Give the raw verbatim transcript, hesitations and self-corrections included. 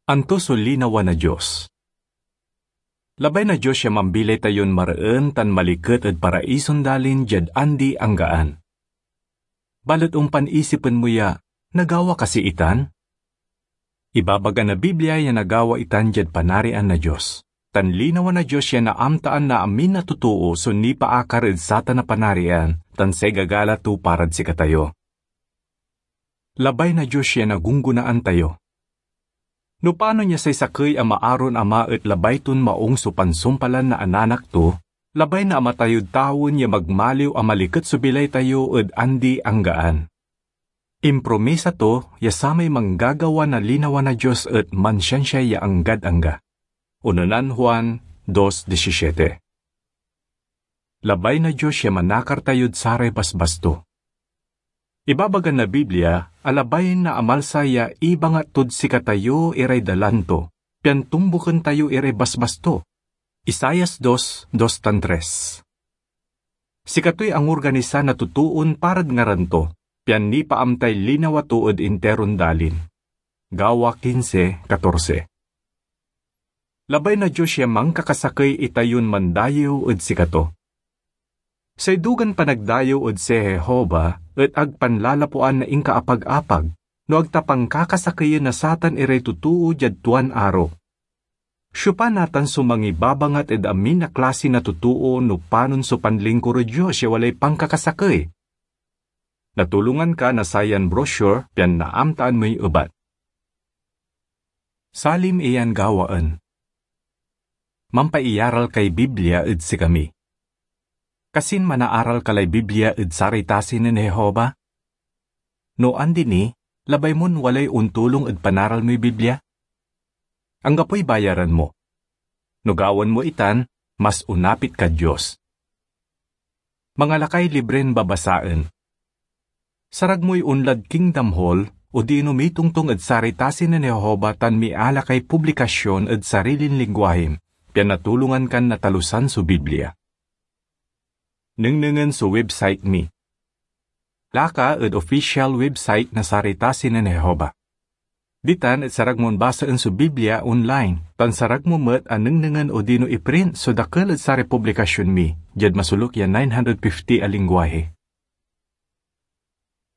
Anto so linawa na Dios? Labay na Dios ya mambilay tayon mareen tan maliket ed paraison dalin diad andi-anggaan. Balet ompan isipen mo ya, nagawa kasi itan? Ibabaga na Biblia ya nagawa itan diad Panarian na Dios, tan linawa na Dios ya naamtaan na amin a totoo so nipaakar ed satan a Panarian tan say gagala to parad sikatayo. Labay na Dios ya nagunggonaan tayo. No panon ya say sakey a maaron ama et labay ton maong so pansumpalan na ananak to, labay na ama tayod tawen ya magmaliw a maliket so bilay tayo ed andi-anggaan. Impromisa to ya samay manggagawa na linawa na Dios et mansiansia ya anggad angga. Unonan Juan dos disisiete. Labay na Dios ya manakar tayod saray basbas to. Ibabaga na Biblia a labay na amalsa ya ibangat tod sikatayo iray dalan to, pian tumboken tayo iray basbas to. Isaias dos, dos tan tres. Sikatoy angorganisa na totoon parad ngaran to, pian nipaamtay linawa to ed interon dalin. Gawa kinse katorse. Labay na Dios ya mankakasakey itayon mandayew ed sikato. Say dugan panagdayew ed si Jehovah et ag panlalapuan na inkaapag-apag, no ag ta pankakasakeyen na satan iray totoo diad tuan aro. Siopa natan so mangibabangat ed amin a klasi na totoo no panon so panlingkur ed Dios ya walay pankakasakey? Natulongan ka na sayan brochure pian naamtaan moy ebat. Salim iyan gawaen. Mampaiyaral kay Biblia ed sikami. Kasin manaaral ka lay Biblia ed saray tasi nen Jehovah? No andi ni, labay mon walay ontulong ed panaral moy Biblia? Anggapoy bayaran mo. No gawaen mo itan, mas onapit kad Dios. Mangalakay libren babasaen. Sarag moy onlad Kingdom Hall odino mitongtong ed saray tasi nen Jehovah tan mialakay publikasyon ed sarilin lingwahi, pian natulongan kan natalusan so Biblia. Nengnengen so website mi. Laka ed official website na saray tasi nen Jehovah. Ditan et sarag mon basaen so Biblia online, tan sarag mo met a nengnengen odino iprint so dakel ed saray publikasyon mi diad masoluk ya nine hundred fifty a lingwahi.